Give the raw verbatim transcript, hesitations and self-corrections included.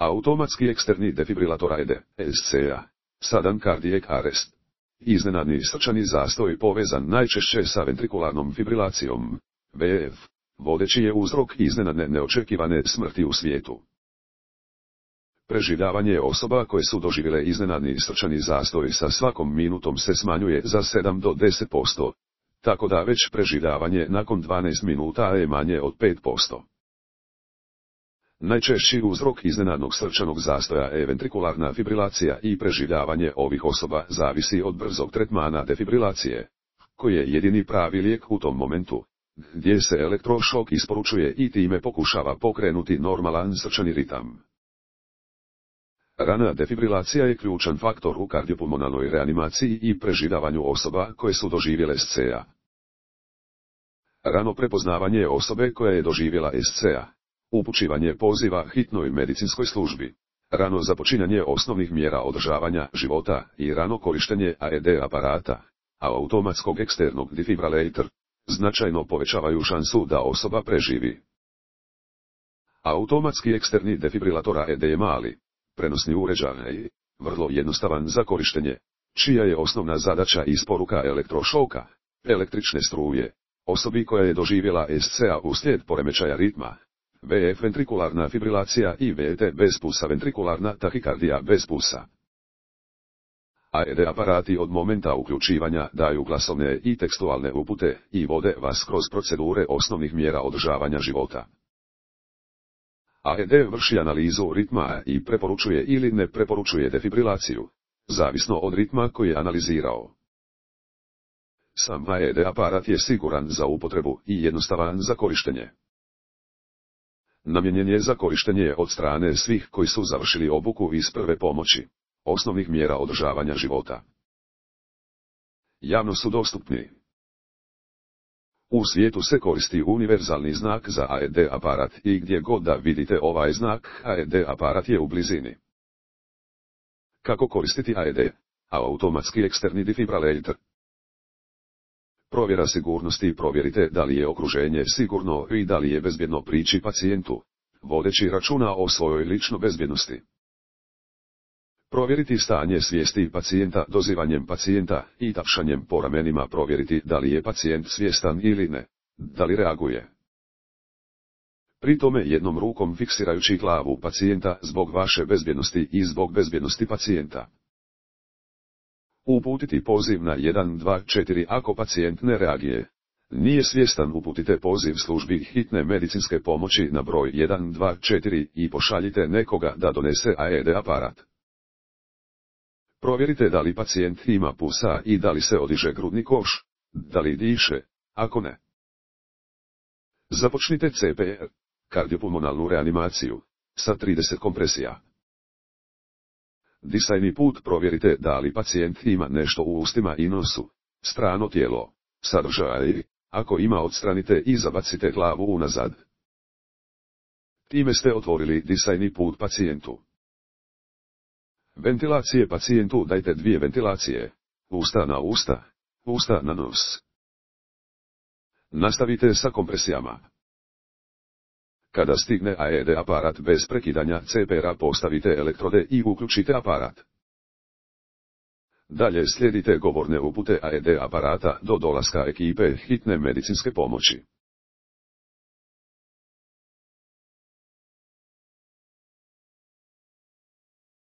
Automatski eksterni defibrilator A E D, S C A. Sudden cardiac arrest. Iznenadni srčani zastoj povezan najčešće sa ventrikularnom fibrilacijom, V F, vodeći je uzrok iznenadne neočekivane smrti u svijetu. Preživljavanje osoba koje su doživjele iznenadni srčani zastoj sa svakom minutom se smanjuje za sedam do deset posto, tako da već preživljavanje nakon dvanaest minuta je manje od pet posto. Najčešći uzrok iznenadnog srčanog zastoja je ventrikularna fibrilacija i preživljavanje ovih osoba zavisi od brzog tretmana defibrilacije, koji je jedini pravi lijek u tom momentu, gdje se elektrošok isporučuje i time pokušava pokrenuti normalan srčani ritam. Rana defibrilacija je ključan faktor u kardiopulmonalnoj reanimaciji i preživljavanju osoba koje su doživjele S C A. Rano prepoznavanje osobe koja je doživjela S C A. Upućivanje poziva hitnoj medicinskoj službi, rano započinjanje osnovnih mjera održavanja života i rano korištenje A E D aparata, a automatskog eksternog defibrilator, značajno povećavaju šansu da osoba preživi. Automatski eksterni defibrilator A E D je mali, prenosni uređaj, vrlo jednostavan za korištenje, čija je osnovna zadaća isporuka elektrošoka, električne struje, osobi koja je doživjela S C A uslijed poremećaja ritma, V F ventrikularna fibrilacija i V T bez pulsa ventrikularna tahikardija bez pulsa. A E D aparati od momenta uključivanja daju glasovne i tekstualne upute i vode vas kroz procedure osnovnih mjera održavanja života. A E D vrši analizu ritma i preporučuje ili ne preporučuje defibrilaciju, zavisno od ritma koji je analizirao. Sam A E D aparat je siguran za upotrebu i jednostavan za korištenje. Namijenjen je za korištenje od strane svih koji su završili obuku iz prve pomoći, osnovnih mjera održavanja života. Javno su dostupni. U svijetu se koristi univerzalni znak za A E D aparat i gdje god da vidite ovaj znak, A E D aparat je u blizini. Kako koristiti A E D? Automatski eksterni defibrilator. Provjera sigurnosti. Provjerite da li je okruženje sigurno i da li je bezbjedno prići pacijentu, vodeći računa o svojoj ličnoj bezbjednosti. Provjeriti stanje svijesti pacijenta dozivanjem pacijenta i tapšanjem po ramenima. Provjeriti da li je pacijent svjestan ili ne, da li reaguje. Pri tome jednom rukom fiksirajući glavu pacijenta zbog vaše bezbjednosti i zbog bezbjednosti pacijenta. Uputiti poziv na jedan dva četiri ako pacijent ne reagije. Nije svjestan, uputite poziv službi hitne medicinske pomoći na broj jedan dva četiri i pošaljite nekoga da donese A E D aparat. Provjerite da li pacijent ima pulsa i da li se odiže grudni koš, da li diše, ako ne. Započnite C P R, kardiopulmonalnu reanimaciju, sa trideset kompresija. Disajni put. Provjerite da li pacijent ima nešto u ustima i nosu, strano tijelo, sadržaj, ako ima odstranite i zabacite glavu unazad. Time ste otvorili disajni put pacijentu. Ventilacije. Pacijentu dajte dvije ventilacije, usta na usta, usta na nos. Nastavite sa kompresijama. Kada stigne A E D aparat bez prekidanja C P R-a, postavite elektrode i uključite aparat. Dalje slijedite govorne upute A E D aparata do dolaska ekipe hitne medicinske pomoći.